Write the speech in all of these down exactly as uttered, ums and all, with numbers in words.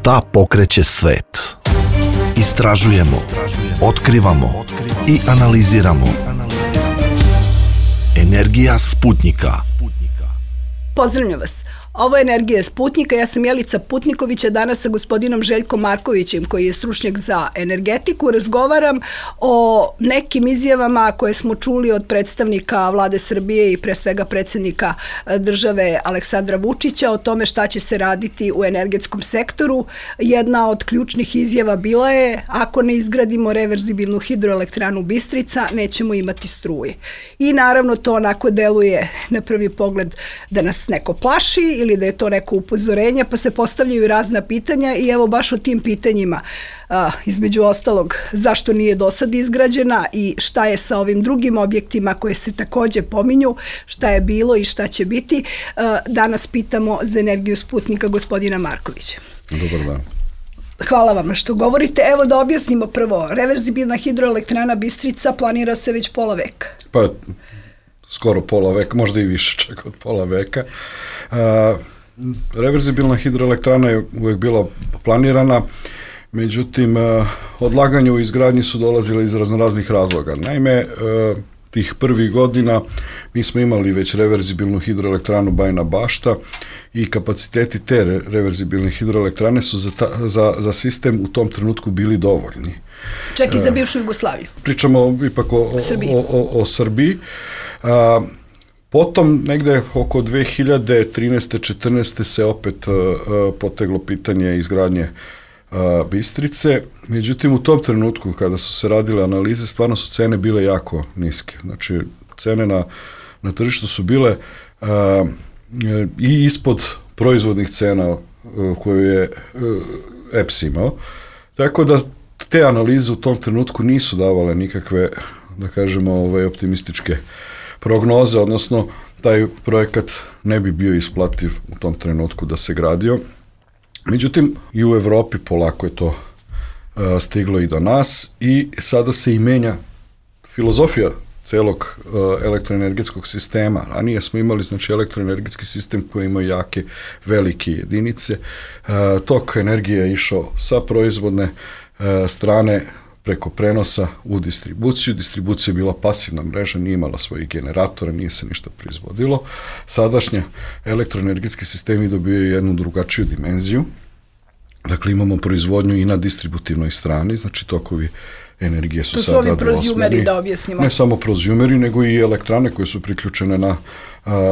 Šta pokreće svet? Istražujemo, otkrivamo i analiziramo. Energija Sputnjika. Pozdravljam vas. Ovo je Energija Sputnjika. Ja sam Jelica Putniković, a danas sa gospodinom Željkom Markovićem, koji je stručnjak za energetiku. Razgovaram o nekim izjavama koje smo čuli od predstavnika Vlade Srbije i pre svega predsjednika države Aleksandra Vučića o tome šta će se raditi u energetskom sektoru. Jedna od ključnih izjava bila je: ako ne izgradimo reverzibilnu hidroelektranu Bistrica, nećemo imati struje. I naravno to onako deluje na prvi pogled da nas neko plaši ili da je to neko upozorenje, pa se postavljaju razna pitanja i evo baš o tim pitanjima, a, između ostalog, zašto nije do sad izgrađena i šta je sa ovim drugim objektima koje se takođe pominju, šta je bilo i šta će biti. A, danas pitamo za Energiju Sputnika gospodina Markovića. Dobar dan. Hvala vam što govorite. Evo da objasnimo prvo. Reverzibilna hidroelektrana Bistrica planira se već pola veka. Pa, skoro pola veka, možda i više čak od pola veka. Uh, reverzibilna hidroelektrana je uvek bila planirana, međutim, uh, odlaganje u izgradnji su dolazile iz raznoraznih razloga. Naime, uh, tih prvih godina mi smo imali već reverzibilnu hidroelektranu Bajina Bašta i kapaciteti te re- reverzibilne hidroelektrane su za, ta, za, za sistem u tom trenutku bili dovoljni. Čak i za bivšu Jugoslaviju. Pričamo ipak o, o, o, o, o Srbiji. A, potom negde oko dve hiljade trinaeste četrnaeste se opet a, a, poteglo pitanje izgradnje a, Bistrice. Međutim, u tom trenutku kada su se radile analize, stvarno su cene bile jako niske. Znači, cene na, na tržištu su bile a, i ispod proizvodnih cena a, koju je a, E P S imao. Tako da te analize u tom trenutku nisu davale nikakve, da kažemo, ove optimističke prognoze, odnosno taj projekat ne bi bio isplativ u tom trenutku da se gradio. Međutim, i u Evropi polako je to uh, stiglo i do nas i sada se i menja filozofija celog uh, elektroenergetskog sistema. Ranije smo imali, znači, elektroenergetski sistem koji ima jake, velike jedinice. Uh, tok energije je išao sa proizvodne uh, strane preko prenosa u distribuciju. Distribucija je bila pasivna mreža, nije imala svojih generatora, nije se ništa proizvodilo. Sadašnje elektroenergetski sistemi dobijaju jednu drugačiju dimenziju. Dakle, imamo proizvodnju i na distributivnoj strani, znači tokovi energije su, to su sada ovi prozjumeri, da objasnimo. Ne samo prozjumeri, nego i elektrane koje su priključene na,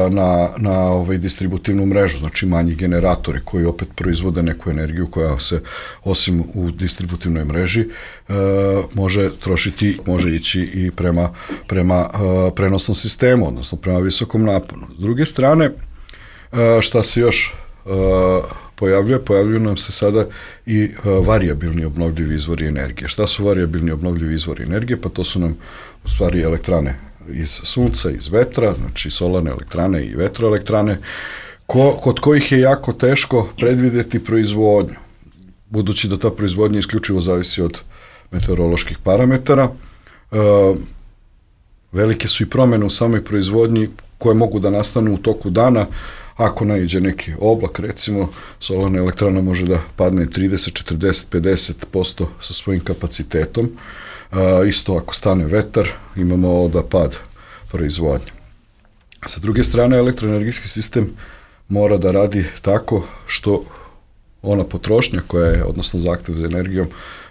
na, na ovaj distributivnu mrežu, znači manji generatori koji opet proizvode neku energiju koja se, osim u distributivnoj mreži, može trošiti, može ići i prema, prema prenosnom sistemu, odnosno prema visokom naponu. S druge strane, šta se još pojavljuje, pojavljuju nam se sada i uh, varijabilni obnovljivi izvori energije. Šta su varijabilni obnovljivi izvori energije? Pa to su nam u stvari elektrane iz sunca, iz vetra, znači solarne elektrane i vetroelektrane, ko, kod kojih je jako teško predvideti proizvodnju, budući da ta proizvodnja isključivo zavisi od meteoroloških parametara. Uh, velike su i promjene u samoj proizvodnji koje mogu da nastanu u toku dana. Ako naiđe neki oblak, recimo, solarna elektrana može da padne trideset, četrdeset, pedeset posto sa svojim kapacitetom. A, isto ako stane vetar, imamo da pad proizvodnje. Sa druge strane, elektroenergetski sistem mora da radi tako što ona potrošnja koja je, odnosno zahtev za energijom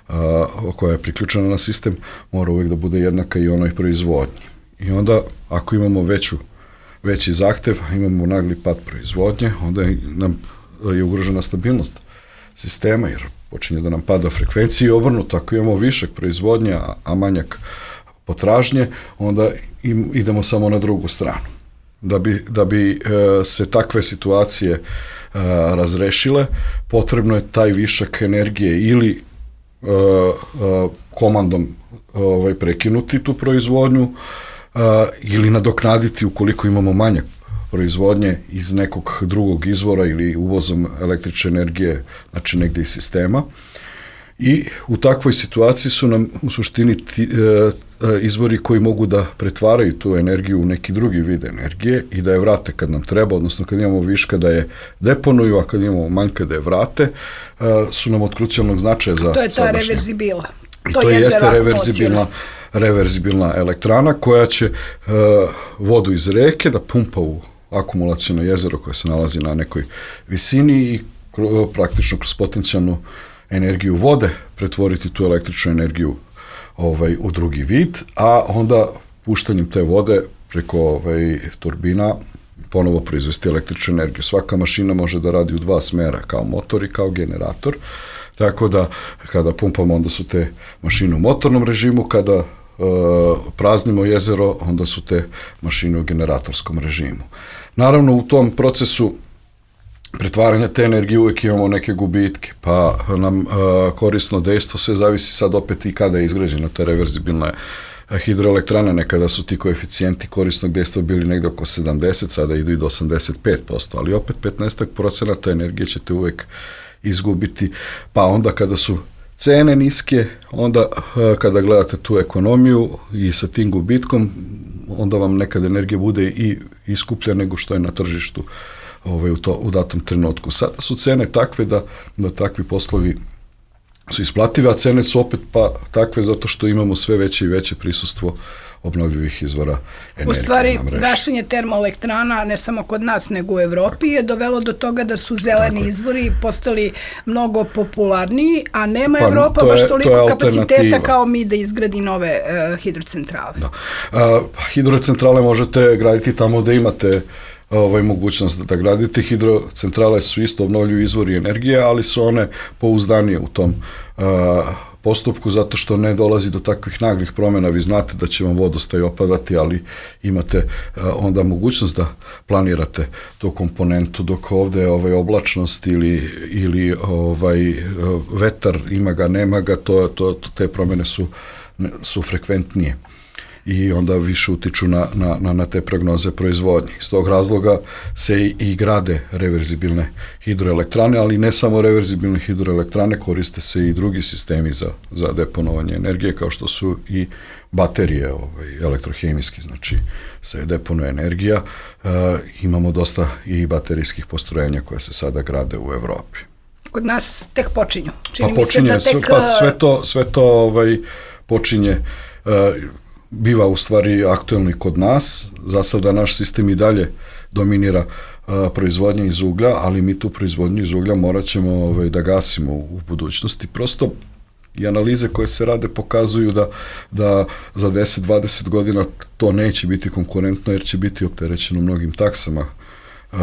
a, koja je priključena na sistem, mora uvijek da bude jednaka i onoj proizvodnji. I onda, ako imamo veću veći zahtev, imamo nagli pad proizvodnje, onda nam je ugrožena stabilnost sistema, jer počinje da nam pada frekvencija i obrnuto, ako imamo višak proizvodnje, a manjak potražnje, onda im, idemo samo na drugu stranu. Da bi, da bi e, se takve situacije e, razrešile, potrebno je taj višak energije ili e, e, komandom ovaj, prekinuti tu proizvodnju, Uh, ili nadoknaditi ukoliko imamo manjak proizvodnje iz nekog drugog izvora ili uvozom električne energije, znači negde iz sistema. I u takvoj situaciji su nam u suštini ti, e, izvori koji mogu da pretvaraju tu energiju u neki drugi vid energije i da je vrate kad nam treba, odnosno kad imamo viška da je deponuju, a kad imamo manjka da je vrate, su nam od krucijalnog značaja za to je ta sadašnje. reverzibila. I to, to jeste reverzibilna, reverzibilna elektrana koja će uh, vodu iz reke da pumpa u akumulaciono jezero koje se nalazi na nekoj visini i uh, praktično kroz potencijalnu energiju vode pretvoriti tu električnu energiju ovaj, u drugi vid, a onda puštanjem te vode preko ovaj, turbina ponovo proizvesti električnu energiju. Svaka mašina može da radi u dva smera, kao motor i kao generator, tako da kada pumpamo onda su te mašine u motornom režimu, kada e, praznimo jezero onda su te mašine u generatorskom režimu. Naravno u tom procesu pretvaranja te energije uvijek imamo neke gubitke, pa nam e, korisno dejstvo sve zavisi sad opet i kada je izgrađena ta reverzibilna hidroelektrana. Nekada su ti koeficijenti korisnog dejstva bili negde oko sedamdeset, sada idu i do osamdeset pet posto, ali opet petnaest procenata energije ćete uvijek izgubiti, pa onda kada su cene niske, onda kada gledate tu ekonomiju i sa tim gubitkom, onda vam nekad energija bude i iskuplja nego što je na tržištu ovaj, u, to, u datom trenutku. Sada su cene takve da, da takvi poslovi su isplative, a cene su opet pa takve zato što imamo sve veće i veće prisustvo obnovljivih izvora energije. U stvari, gašenje termoelektrana, ne samo kod nas, nego u Evropi, je dovelo do toga da su zeleni izvori postali mnogo popularniji, a nema pa, Evropa baš je, toliko kapaciteta kao mi da izgradi nove uh, hidrocentrale. Da. Uh, hidrocentrale možete graditi tamo da imate ovaj, mogućnost da gradite. Hidrocentrale su isto obnovljivi izvori energije, ali su one pouzdanije u tom uh, postupku, zato što ne dolazi do takvih naglih promjena. Vi znate da će vam vodostaj opadati, ali imate uh, onda mogućnost da planirate tu komponentu, dok ovde je ovaj, oblačnost ili, ili ovaj, uh, vetar, ima ga, nema ga, to, to, to, te promjene su, su frekventnije i onda više utiču na, na, na te prognoze proizvodnje. Iz tog razloga se i, i grade reverzibilne hidroelektrane, ali ne samo reverzibilne hidroelektrane, koriste se i drugi sistemi za, za deponovanje energije, kao što su i baterije ovaj, elektrohemijski, znači se deponuje energija. E, imamo dosta i baterijskih postrojenja koje se sada grade u Evropi. Kod nas tek počinju. Čini pa počinje, mi se da tek... pa sve to, sve to ovaj, počinje... E, biva u stvari aktuelni kod nas. Za sada naš sistem i dalje dominira uh, proizvodnje iz uglja, ali mi tu proizvodnju iz uglja morat ćemo ovaj, da gasimo u, u budućnosti. Prosto i analize koje se rade pokazuju da, da za deset do dvadeset godina to neće biti konkurentno, jer će biti opterećeno mnogim taksama uh,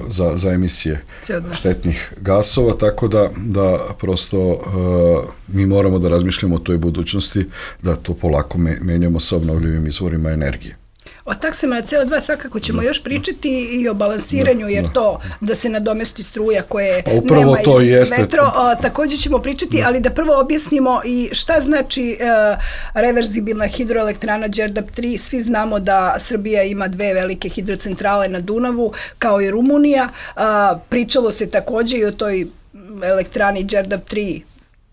za, za emisije štetnih gasova, tako da, da prosto uh, mi moramo da razmišljamo o toj budućnosti, da to polako me, menjamo sa obnovljivim izvorima energije. O taksama na C O dva svakako ćemo da, još pričati i o balansiranju, jer da, to da se nadomesti struja koje pa nema to iz jeste. metro, a, također ćemo pričati, da. ali da prvo objasnimo i šta znači a, reverzibilna hidroelektrana Đerdap tri. Svi znamo da Srbija ima dve velike hidrocentrale na Dunavu, kao i Rumunija. A, pričalo se također i o toj elektrani Đerdap tri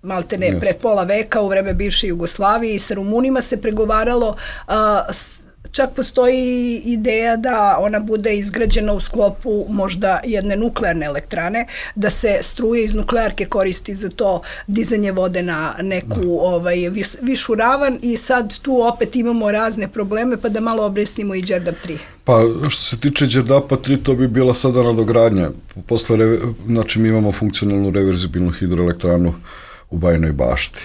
maltene yes. pre pola veka u vreme bivše Jugoslavije, i sa Rumunima se pregovaralo. A, s, Čak postoji ideja da ona bude izgrađena u sklopu možda jedne nuklearne elektrane, da se struje iz nuklearke koristi za to dizanje vode na neku ovaj, vis, višu ravan, i sad tu opet imamo razne probleme, pa da malo objasnimo i Đerdap tri. Pa što se tiče Đerdapa tri, to bi bila sada nadogradnja. Posle, znači mi imamo funkcionalnu reverzibilnu hidroelektranu u Bajinoj Bašti.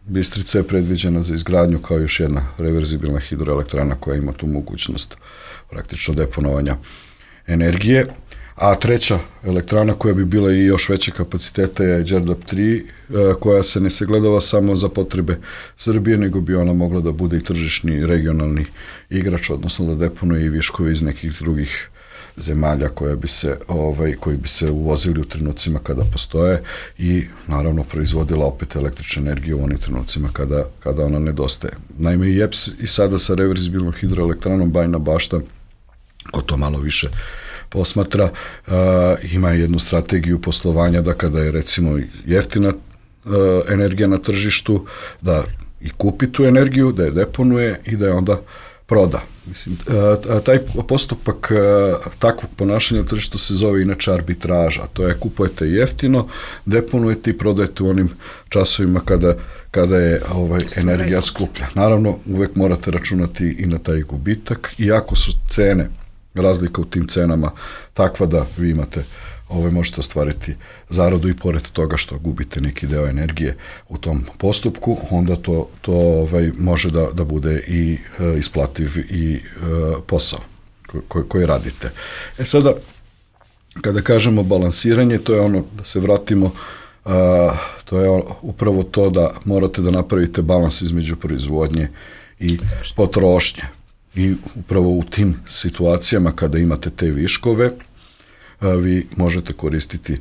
Bistrica je predviđena za izgradnju kao još jedna reverzibilna hidroelektrana koja ima tu mogućnost praktično deponovanja energije. A treća elektrana koja bi bila i još veće kapaciteta je Đerdap tri, koja se ne sagledava samo za potrebe Srbije, nego bi ona mogla da bude i tržišni regionalni igrač, odnosno da deponuje i viškove iz nekih drugih zemalja koje bi se, ovaj, koji bi se uvozili u trenucima kada postoje, i naravno proizvodila opet električnu energiju u onim trenucima kada, kada ona nedostaje. Naime, i E P S i sada sa reverzibilnom hidroelektranom Bajina Bašta, ko to malo više posmatra, uh, ima jednu strategiju poslovanja da kada je recimo jeftina energija na tržištu, da i kupi tu energiju, da je deponuje i da je onda proda. Mislim, taj postupak takvog ponašanja na tržištu se zove inače arbitraža. To je kupujete jeftino, deponujete i prodajete u onim časovima kada, kada je ovaj, energija skuplja. Naravno, uvek morate računati i na taj gubitak, iako su cene, razlika u tim cenama takva da vi imate Ovaj, možete ostvariti zaradu i pored toga što gubite neki deo energije u tom postupku, onda to, to ovaj, može da, da bude i e, isplativ i e, posao koji, koji radite. E sada, kada kažemo balansiranje, to je ono, da se vratimo, a, to je upravo to da morate da napravite balans između proizvodnje i potrošnje. I upravo u tim situacijama kada imate te viškove, vi možete koristiti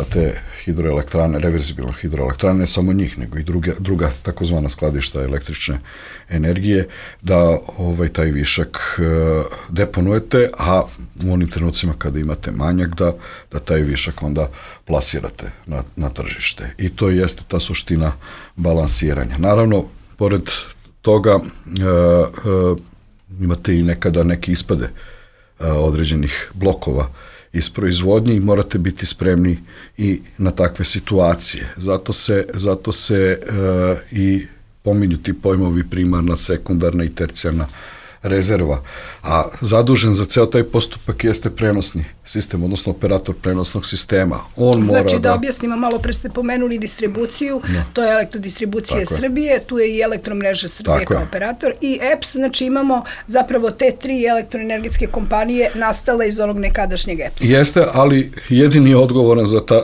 te hidroelektrane, reverzibilne hidroelektrane, ne samo njih, nego i druga, druga takozvana skladišta električne energije, da ovaj, taj višak deponujete, a u onim trenucima kada imate manjak, da, da taj višak onda plasirate na, na tržište. I to jeste ta suština balansiranja. Naravno, pored toga e, e, imate i nekada neke ispade e, određenih blokova iz proizvodnje i morate biti spremni i na takve situacije. Zato se, zato se e, i pominju ti pojmovi primarna, sekundarna i tercijarna rezerva. A zadužen za ceo taj postupak jeste prenosni sistem, odnosno operator prenosnog sistema. On znači mora da, da objasnimo malo, pre ste pomenuli distribuciju, no. To je Elektrodistribucija Tako Srbije, je. Tu je i Elektromreža Srbije Tako kao je. Operator i E P S, znači imamo zapravo te tri elektroenergetske kompanije nastale iz onog nekadašnjeg E P S-a. Jeste, ali jedini je odgovoran za, ta,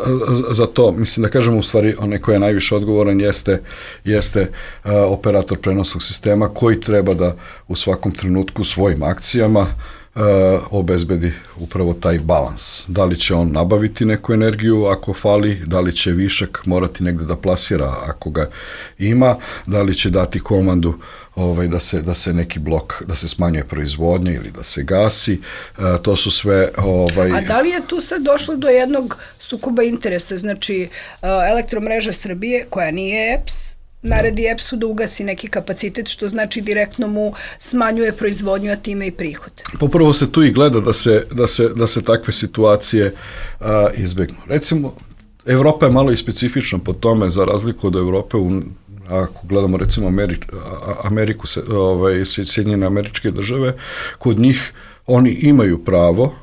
za to, mislim da kažemo u stvari onaj koji je najviše odgovoran jeste, jeste uh, operator prenosnog sistema koji treba da u svakom trenutku svojim akcijama uh, obezbedi upravo taj balans. Da li će on nabaviti neku energiju ako fali, da li će višak morati negde da plasira ako ga ima, da li će dati komandu ovaj, da, se, da se neki blok, da se smanjuje proizvodnja ili da se gasi. Uh, to su sve... Ovaj... A da li je tu sad došlo do jednog sukoba interesa? Znači, uh, Elektromreža Srbije, koja nije E P S, naredi E P S-u da ugasi neki kapacitet, što znači direktno mu smanjuje proizvodnju, a time i prihod. Popravo se tu i gleda da se, da se, da se takve situacije a, izbegnu. Recimo, Evropa je malo i specifična po tome, za razliku od Evrope, u, ako gledamo recimo Ameri, Ameriku, ovaj, Sjedinjene Američke Države, kod njih oni imaju pravo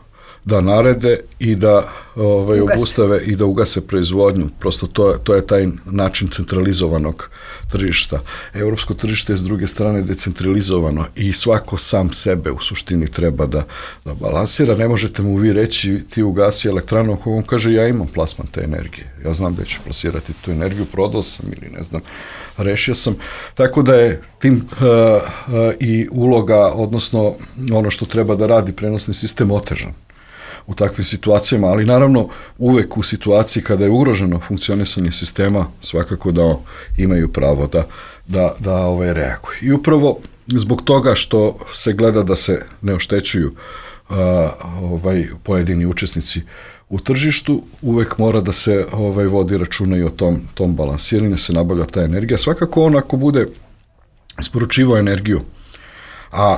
da narede i da ovaj, obustave i da ugase proizvodnju. Prosto to, to je taj način centralizovanog tržišta. Evropsko tržište je s druge strane decentralizovano i svako sam sebe u suštini treba da, da balansira. Ne možete mu vi reći ti ugasi elektranu ako on kaže ja imam plasman te energije. Ja znam da ću plasirati tu energiju, prodao sam ili ne znam, rešio sam. Tako da je tim uh, uh, i uloga, odnosno ono što treba da radi prenosni sistem otežan u takvim situacijama, ali naravno uvek u situaciji kada je ugroženo funkcionisanje sistema, svakako da imaju pravo da, da, da ovaj, reaguju. I upravo zbog toga što se gleda da se ne oštećuju a, ovaj, pojedini učesnici u tržištu, uvek mora da se ovaj, vodi računa i o tom, tom balansiranju, se nabavlja ta energija. Svakako on ako bude isporučivao energiju, a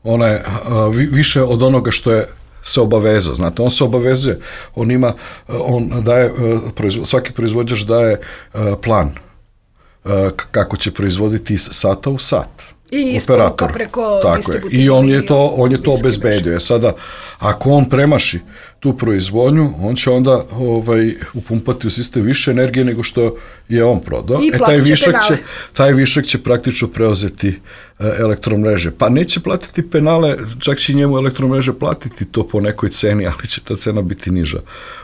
ona je a, vi, više od onoga što je se obavezao, znate, on se obavezuje, on ima, on daje, svaki proizvođač daje plan kako će proizvoditi iz sata u sat. I isporuka preko distributivne. I on je to, on je to obezbedio. Sada, ako on premaši tu proizvodnju, on će onda ovaj, upumpati u sistem više energije nego što je on prodao. I e, taj višak će, taj višak će praktično preuzeti uh, elektromreže. Pa neće platiti penale, čak će njemu elektromreže platiti to po nekoj ceni, ali će ta cena biti niža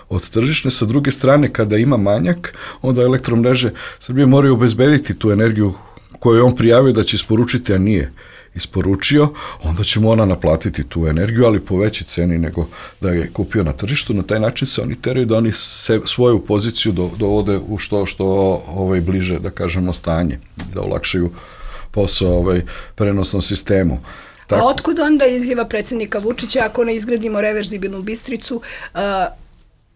od tržišne. Sa druge strane, kada ima manjak, onda elektromreže Srbije moraju obezbediti tu energiju koju je on prijavio da će isporučiti, a nije isporučio, onda će mu ona naplatiti tu energiju, ali po većoj ceni nego da je kupio na tržištu. Na taj način se oni teraju da oni se, svoju poziciju do, dovode u što, što ovaj, bliže, da kažemo, stanje, da olakšaju posao ovaj, prenosnom sistemu. Tako. A otkud onda izjava predsjednika Vučića, ako ne izgradimo reverzibilnu Bistricu, uh,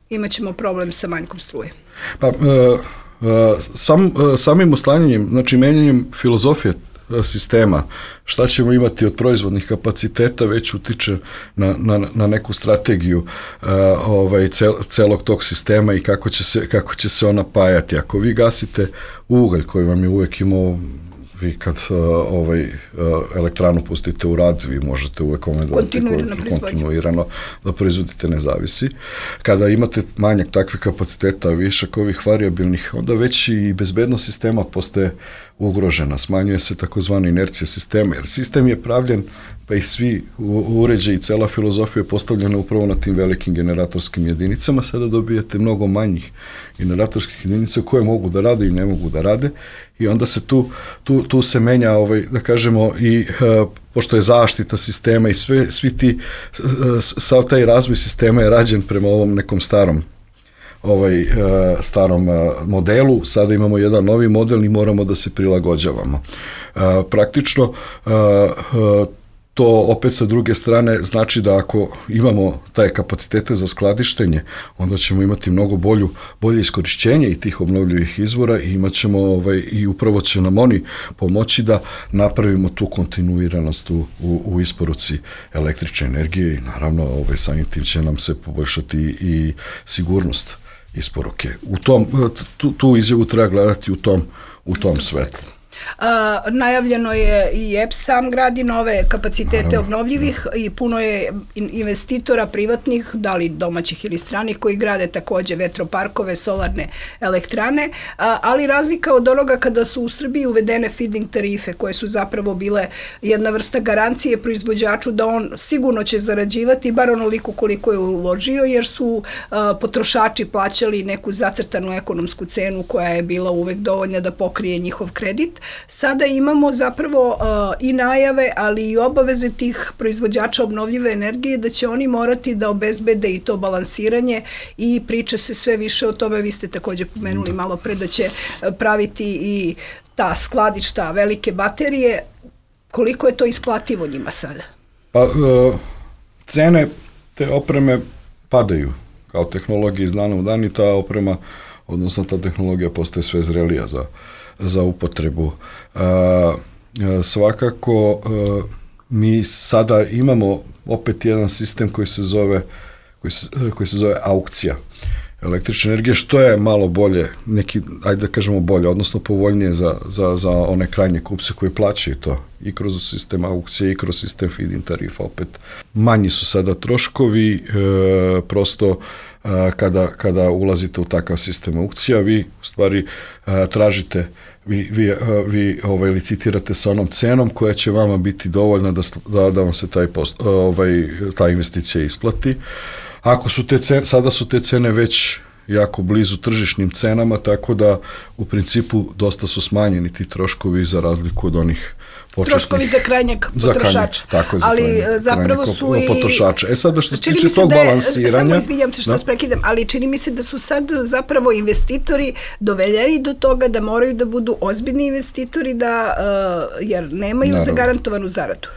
imat ćemo problem sa manjkom struje? Pa, uh, sam, samim oslanjanjem, znači menjanjem filozofije sistema, šta ćemo imati od proizvodnih kapaciteta već utiče na, na, na neku strategiju uh, ovaj, cel, celog tog sistema i kako će, se, kako će se ona pajati. Ako vi gasite ugalj koji vam je uvek imao, vi kad uh, ovaj, uh, elektranu pustite u rad, vi možete uvek ome kontinuirano, kontinuirano da proizvodite, ne zavisi. Kada imate manjak takvih kapaciteta, višak ovih variabilnih, onda već i bezbednost sistema postaje ugrožena. Smanjuje se takozvana inercija sistema, jer sistem je pravljen, pa i svi uređaji i cela filozofija je postavljena upravo na tim velikim generatorskim jedinicama. Sada dobijete mnogo manjih generatorskih jedinica koje mogu da rade i ne mogu da rade i onda se tu, tu, tu se menja, ovaj, da kažemo, i uh, pošto je zaštita sistema i sve, svi ti, uh, sav taj razvoj sistema je rađen prema ovom nekom starom ovaj uh, starom uh, modelu, sada imamo jedan novi model i moramo da se prilagođavamo. Uh, praktično uh, uh, to opet sa druge strane znači da ako imamo taj kapacitete za skladištenje, onda ćemo imati mnogo bolju, bolje iskorišćenje i tih obnovljivih izvora i imat ćemo ovaj, i upravo će nam oni pomoći da napravimo tu kontinuiranost u, u, u isporuci električne energije i naravno ovaj, samim tim će nam se poboljšati i sigurnost isporuke. U tom, tu, tu izjavu treba gledati u tom, u tom svetlu. Uh, najavljeno je i E P S sam gradi nove kapacitete Naravno. obnovljivih i puno je investitora privatnih, da li domaćih ili stranih, koji grade takođe vetroparkove, solarne elektrane, uh, ali razlika od onoga kada su u Srbiji uvedene feed-in tarife, koje su zapravo bile jedna vrsta garancije proizvođaču da on sigurno će zarađivati, bar onoliko koliko je uložio, jer su uh, potrošači plaćali neku zacrtanu ekonomsku cenu koja je bila uvek dovoljna da pokrije njihov kredit. Sada imamo zapravo uh, i najave, ali i obaveze tih proizvođača obnovljive energije da će oni morati da obezbede i to balansiranje i priča se sve više o tome. Vi ste takođe pomenuli malo pre da će praviti i ta skladišta, velike baterije. Koliko je to isplativo njima sada? Pa, uh, cene te opreme padaju kao tehnologija iz dana u dan i ta oprema, odnosno ta tehnologija postaje sve zrelija za za upotrebu. Uh, svakako uh, mi sada imamo opet jedan sistem koji se zove koji se, koji se zove aukcija električne energije, što je malo bolje, neki, ajde da kažemo bolje, odnosno povoljnije za, za, za one krajnje kupce koji plaćaju to i kroz sistem aukcije i kroz sistem feed-in tarifa. Opet manji su sada troškovi, e, prosto e, kada, kada ulazite u takav sistem aukcija, vi u stvari e, tražite, vi, vi, e, vi ovaj, licitirate sa onom cenom koja će vama biti dovoljna da, da, da vam se taj post, ovaj, ta investicija isplati. Ako su te cene, sada su te cene već jako blizu tržišnim cenama, tako da u principu dosta su smanjeni ti troškovi za razliku od onih početnih. Troškovi za krajnjeg potrošača. Za krajnjeg, tako je, za ali krajnjeg, zapravo krajnjeg su i potrošača. E sada što se tiče tog da je, balansiranja... Samo izvinjam se što vas prekidam, ali čini mi se da su sad zapravo investitori doveljeni do toga da moraju da budu ozbiljni investitori, da, uh, jer nemaju Naravno. zagarantovanu zaradu.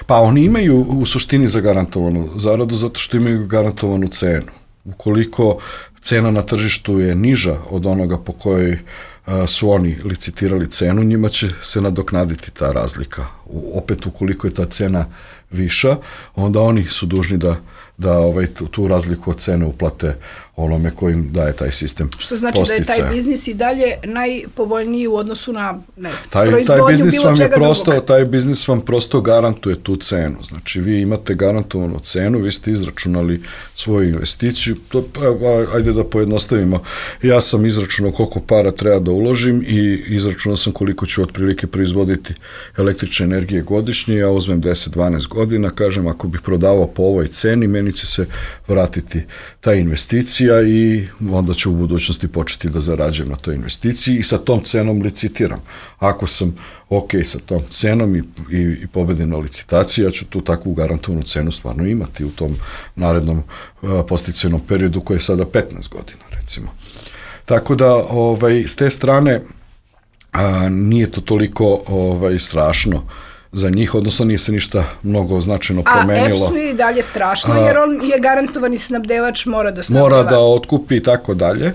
Pa oni imaju u suštini zagarantovanu zaradu zato što imaju garantovanu cenu. Ukoliko cena na tržištu je niža od onoga po kojoj a, su oni licitirali cenu, njima će se nadoknaditi ta razlika. U, opet ukoliko je ta cena viša, onda oni su dužni da, da ovaj, tu, tu razliku od cene uplate onome kojim daje taj sistem posticaja. Što znači posticaja. Da je taj biznis i dalje najpovoljniji u odnosu na, ne znam, taj, proizvodnju taj biznis bilo vam je čega prosto, drugog. Taj biznis vam prosto garantuje tu cenu. Znači, vi imate garantovanu cenu, vi ste izračunali svoju investiciju. To, ajde da pojednostavimo. Ja sam izračunao koliko para treba da uložim i izračunao sam koliko ću otprilike proizvoditi električne energije godišnje. Ja uzmem deset do dvanaest godina, kažem, ako bih prodavao po ovoj ceni, meni će se vratiti ta investicija i onda ću u budućnosti početi da zarađujem na toj investiciji i sa tom cenom licitiram. Ako sam ok sa tom cenom i, i, i pobedim na licitaciji, ja ću tu takvu garantovanu cenu stvarno imati u tom narednom uh, posticajnom periodu koji je sada petnaest godina, recimo. Tako da, ovaj, s te strane, a, nije to toliko ovaj, strašno za njih, odnosno nije se ništa mnogo značajno promenilo. A E P S-u je i dalje strašno, a, jer on je garantovani snabdevač, mora da snabdeva. Mora da otkupi i tako dalje.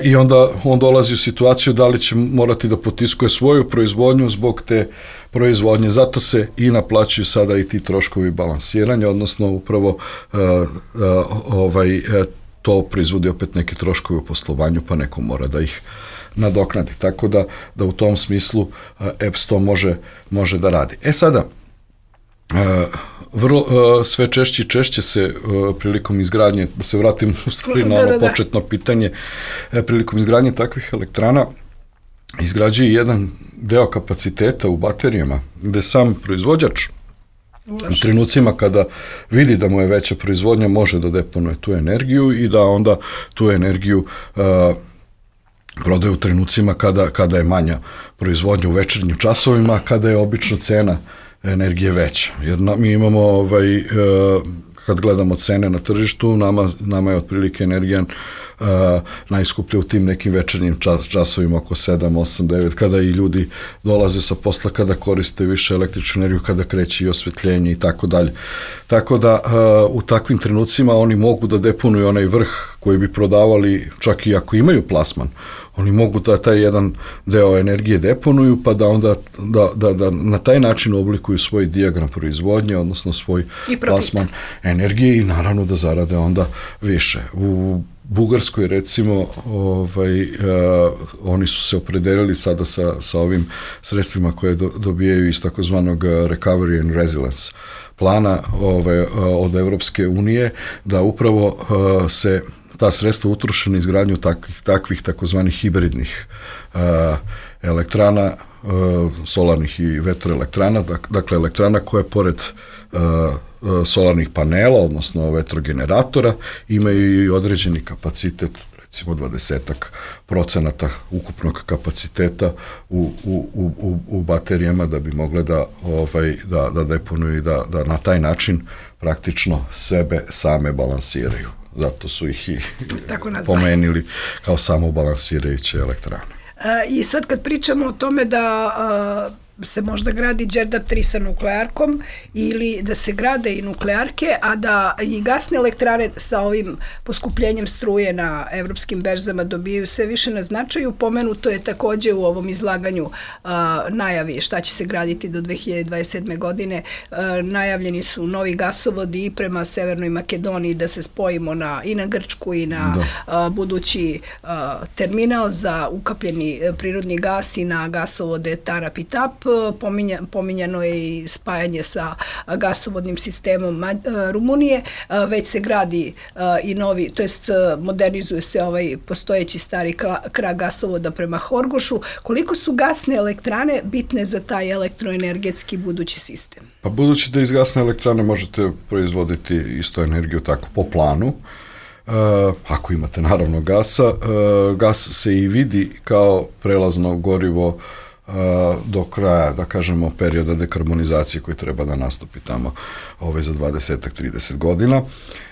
I onda on dolazi u situaciju da li će morati da potiskuje svoju proizvodnju zbog te proizvodnje. Zato se i naplaćuju sada i ti troškovi balansiranja, odnosno upravo uh, uh, ovaj, uh, to proizvodi opet neke troškovi u poslovanju, pa neko mora da ih nadoknadi. Tako da, da u tom smislu uh, E P S to može, može da radi. E sada, uh, vrlo, uh, sve češće i češće se uh, prilikom izgradnje, da se vratim u stvari na ono da, da, da. početno pitanje, uh, prilikom izgradnje takvih elektrana izgrađuje jedan deo kapaciteta u baterijama, gde sam proizvođač u trenucima kada vidi da mu je veća proizvodnja može da deponuje tu energiju i da onda tu energiju uh, prodaje u trenucima kada, kada je manja proizvodnja u večernjim časovima, kada je obično cena energije veća. Jer na, mi imamo, ovaj, uh, kad gledamo cene na tržištu, nama, nama je otprilike energija Uh, najskuplje u tim nekim večernjim čas, časovima oko sedam, osam, devet, kada i ljudi dolaze sa posla, kada koriste više električnu energiju, kada kreće i osvetljenje i tako dalje. Tako da uh, u takvim trenucima oni mogu da deponuju onaj vrh koji bi prodavali, čak i ako imaju plasman, oni mogu da taj jedan deo energije deponuju, pa da onda da, da, da na taj način oblikuju svoj dijagram proizvodnje, odnosno svoj plasman energije i naravno da zarade onda više. U Bugarskoj recimo ovaj, uh, oni su se opredelili sada sa, sa ovim sredstvima koje do, dobijaju iz takozvanog Recovery and Resilience plana ovaj, uh, od Evropske unije, da upravo uh, se ta sredstva utroše na izgradnju takvih, takvih takozvanih hibridnih uh, elektrana, uh, solarnih i vetroelektrana, dakle elektrana koje pored uh, solarnih panela, odnosno vetrogeneratora, imaju i određeni kapacitet, recimo dvadesetak procenata ukupnog kapaciteta u, u, u, u baterijama da bi mogle da, ovaj, da, da deponuju i da, da na taj način praktično sebe same balansiraju. Zato su ih i pomenili kao samobalansirajuće elektrane. I sad kad pričamo o tome da se možda gradi Đerdap tri sa nuklearkom ili da se grade i nuklearke, a da i gasne elektrane sa ovim poskupljenjem struje na evropskim berzama dobijaju sve više na značaju. Pomenuto je takođe u ovom izlaganju a, najavi šta će se graditi do dve hiljade dvadeset sedme. godine. A, najavljeni su novi gasovodi i prema Severnoj Makedoniji da se spojimo na, i na Grčku i na a, budući a, terminal za ukapljeni prirodni gas i na gasovode Tarap i Tap. Pominja, pominjano je i spajanje sa gasovodnim sistemom Rumunije, već se gradi i novi, to jest modernizuje se ovaj postojeći stari krak gasovoda prema Horgošu. Koliko su gasne elektrane bitne za taj elektroenergetski budući sistem? Pa budući da iz gasne elektrane možete proizvoditi isto energiju tako po planu, uh, ako imate naravno gasa, uh, gas se i vidi kao prelazno gorivo do kraja, da kažemo, perioda dekarbonizacije koji treba da nastupi tamo ove za dvadeset do trideset godina.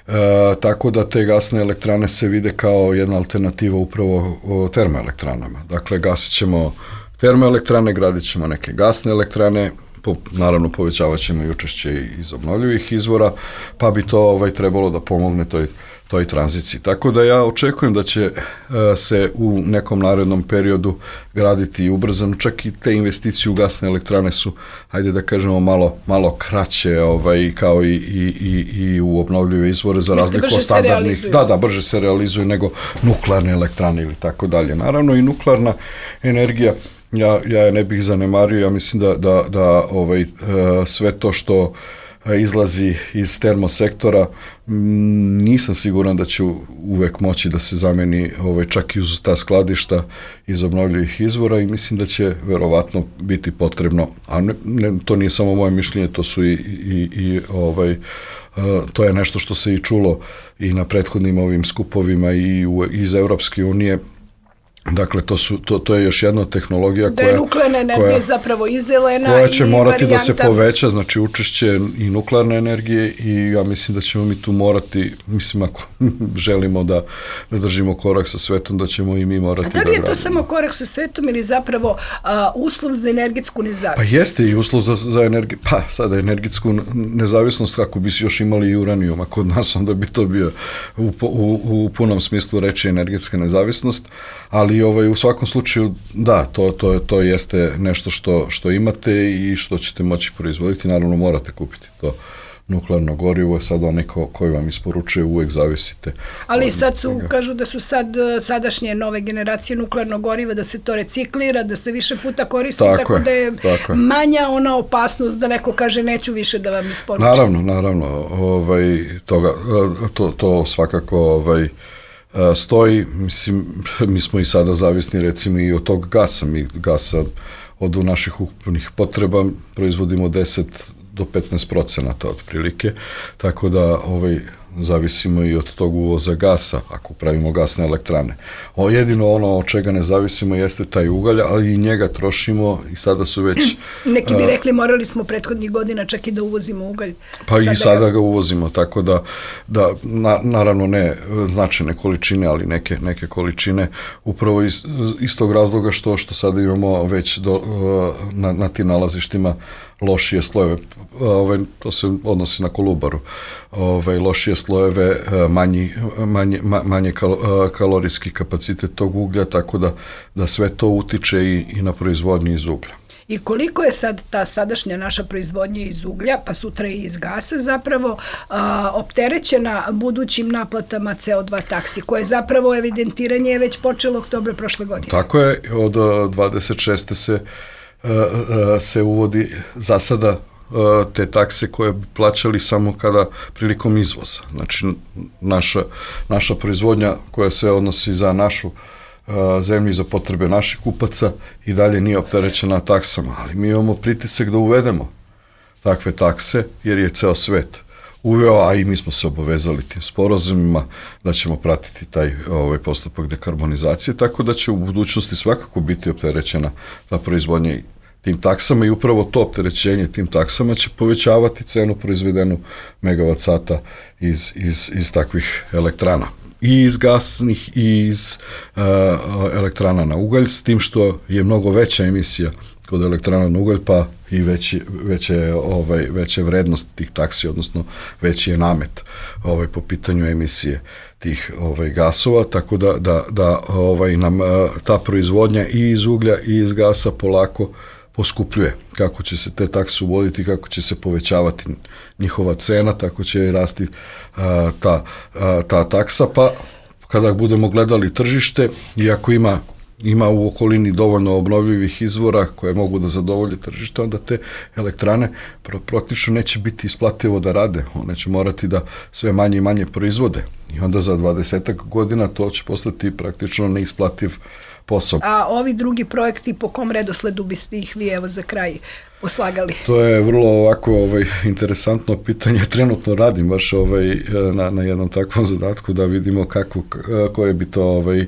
E, tako da te gasne elektrane se vide kao jedna alternativa upravo termoelektranama. Dakle, gasit ćemo termoelektrane, gradit ćemo neke gasne elektrane, po, naravno povećavat ćemo i učešće iz obnovljivih izvora, pa bi to ovaj, trebalo da pomogne toj toj tranziciji. Tako da ja očekujem da će uh, se u nekom narednom periodu graditi ubrzano, čak i te investicije u gasne elektrane su, hajde da kažemo, malo, malo kraće ovaj, kao i, i, i, i u obnovljive izvore za razliku od standardnih. Da, da, brže se realizuju nego nuklearne elektrane ili tako dalje. Naravno i nuklearna energija, ja, ja je ne bih zanemario, ja mislim da, da, da ovaj, uh, sve to što izlazi iz termosektora, nisam siguran da će uvek moći da se zameni ovaj, čak i uz ta skladišta iz obnovljivih izvora i mislim da će verovatno biti potrebno, a ne, ne, to nije samo moje mišljenje, to su i, i, i ovaj, to je nešto što se i čulo i na prethodnim ovim skupovima i u, iz Evropske unije, Dakle, to, su, to, to je još jedna tehnologija da koja... je nuklearna energija koja, zapravo i zelena koja će i morati varijanta. da se poveća, znači učešće i nuklearne energije i ja mislim da ćemo mi tu morati, mislim ako želimo da, da držimo korak sa svetom, da ćemo i mi morati da gradimo. A da li je to gradimo. samo korak sa svetom ili zapravo a, uslov za energetsku nezavisnost? Pa jeste i uslov za, za energiju, pa sada energetsku nezavisnost kako bi još imali i uranijuma kod nas, onda bi to bio u, u, u punom smislu reči energetska nezavisnost, ali ovaj, u svakom slučaju da, to, to, to jeste nešto što, što imate i što ćete moći proizvoditi, naravno morate kupiti to nuklearno gorivo, sad onaj ko, koji vam isporučuje uvek zavisite. Ali sad su, toga. Kažu da su sad sadašnje nove generacije nuklearnog goriva, da se to reciklira, da se više puta koristi, tako, tako je, da je tako manja ona opasnost da neko kaže neću više da vam isporučim. Naravno, naravno, ovaj, toga, to, to svakako ovaj, stoji, mislim, mi smo i sada zavisni recimo i od tog gasa, mi gasa od naših ukupnih potreba proizvodimo deset do petnaest procenata otprilike, tako da ovaj, zavisimo i od tog uvoza gasa, ako pravimo gasne elektrane. O, jedino ono od čega ne zavisimo jeste taj ugalj, ali i njega trošimo i sada su već... Neki bi rekli morali smo prethodnih godina čak i da uvozimo ugalj. Pa sada i sada ga... ga uvozimo, tako da, da na, naravno ne značajne količine, ali neke, neke količine, upravo iz, iz tog razloga što, što sada imamo već do, na, na tim nalazištima lošije slojeve, ovaj, to se odnosi na Kolubaru, ovaj, lošije slojeve, manji, manje, manje kal, kalorijski kapacitet tog uglja, tako da, da sve to utiče i, i na proizvodnju iz uglja. I koliko je sad ta sadašnja naša proizvodnja iz uglja, pa sutra i iz gasa zapravo, a, opterećena budućim naplatama C O dva taksi, koje zapravo evidentiranje je već počelo oktobra prošle godine? Tako je, od dvadeset šeste se se uvodi za sada te takse koje bi plaćali samo kada prilikom izvoza. Znači, naša, naša proizvodnja koja se odnosi za našu zemlju i za potrebe naših kupaca i dalje nije opterećena taksama, ali mi imamo pritisak da uvedemo takve takse, jer je ceo svet uveo, a i mi smo se obavezali tim sporazumima da ćemo pratiti taj ovaj postupak dekarbonizacije, tako da će u budućnosti svakako biti opterećena ta proizvodnja tim taksama i upravo to opterećenje tim taksama će povećavati cenu proizvedenu megavat sata iz, iz, iz takvih elektrana. I iz gasnih i iz uh, elektrana na ugalj, s tim što je mnogo veća emisija kod elektrana na ugalj, pa i veći, veće, ovaj, veće vrednost tih taksi, odnosno veći je namet ovaj, po pitanju emisije tih ovaj, gasova, tako da, da, da ovaj, nam uh, ta proizvodnja i iz uglja i iz gasa polako poskupljuje. Kako će se te takse uvoditi, kako će se povećavati njihova cena, tako će i rasti a, ta, a, ta taksa, pa kada budemo gledali tržište, iako ima ima u okolini dovoljno obnovljivih izvora koje mogu da zadovolje tržište, onda te elektrane praktično neće biti isplativo da rade, one će morati da sve manje i manje proizvode i onda za dvadesetak godina to će postati praktično neisplativ posao. A ovi drugi projekti, po kom redosledu biste ih vi evo za kraj poslagali? To je vrlo ovako ovaj, interesantno pitanje. Trenutno radim baš ovaj, na, na jednom takvom zadatku da vidimo kako, koje bi to, ovaj,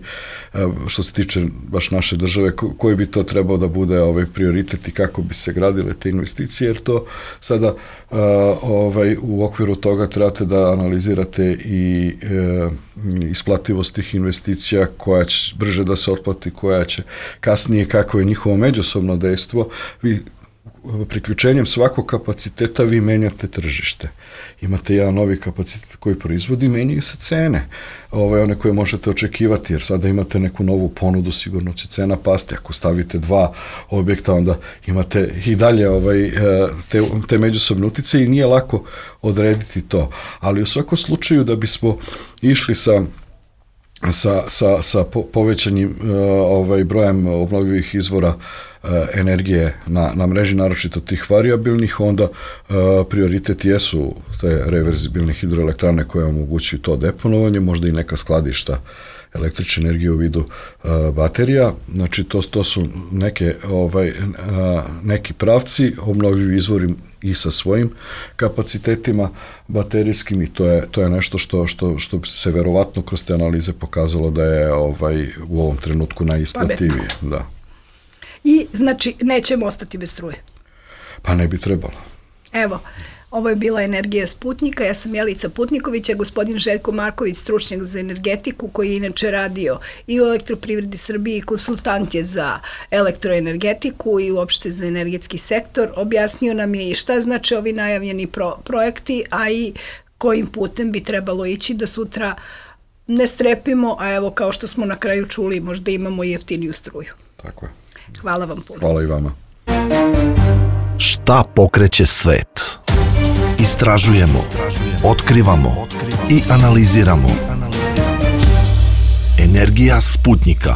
što se tiče baš naše države, koji bi to trebao da bude ovaj, prioritet i kako bi se gradile te investicije, jer to sada ovaj, u okviru toga trebate da analizirate i e, isplativost tih investicija, koja će brže da se otplati, koja će kasnije, kako je njihovo međusobno dejstvo. Vi priključenjem svakog kapaciteta vi menjate tržište. Imate jedan novi kapacitet koji proizvodi, menjaju se cene, ove, one koje možete očekivati, jer sada imate neku novu ponudu, sigurno će cena pasti. Ako stavite dva objekta, onda imate i dalje ovaj, te, te međusobne utice i nije lako odrediti to. Ali u svakom slučaju da bismo išli sa sa, sa, sa povećanjem ovaj, brojem obnovljivih izvora energije na, na mreži, naročito tih variabilnih, onda uh, prioritet jesu te reverzibilne hidroelektrane koje omogućuju to deponovanje, možda i neka skladišta električne energije u vidu uh, baterija. Znači to, to su neke, ovaj, uh, neki pravci, obnovljivi izvori i sa svojim kapacitetima baterijskim i to je, to je nešto što, što, što se verovatno kroz te analize pokazalo da je ovaj, u ovom trenutku najisplativije. Da. I znači nećemo ostati bez struje. Pa ne bi trebalo. Evo, ovo je bila Energija Sputnika, ja sam Jelica Putniković, a gospodin Željko Marković, stručnjak za energetiku, koji je inače radio i u Elektroprivredi Srbije i konsultant je za elektroenergetiku i uopšte za energetski sektor, objasnio nam je i šta znači ovi najavljeni pro, projekti, a i kojim putem bi trebalo ići da sutra ne strepimo, a evo kao što smo na kraju čuli, možda imamo i jeftiniju struju. Tako je. Hvala vam puno. Hvala i vama. Šta pokreće svet? Istražujemo, otkrivamo i analiziramo. Energija Sputnika.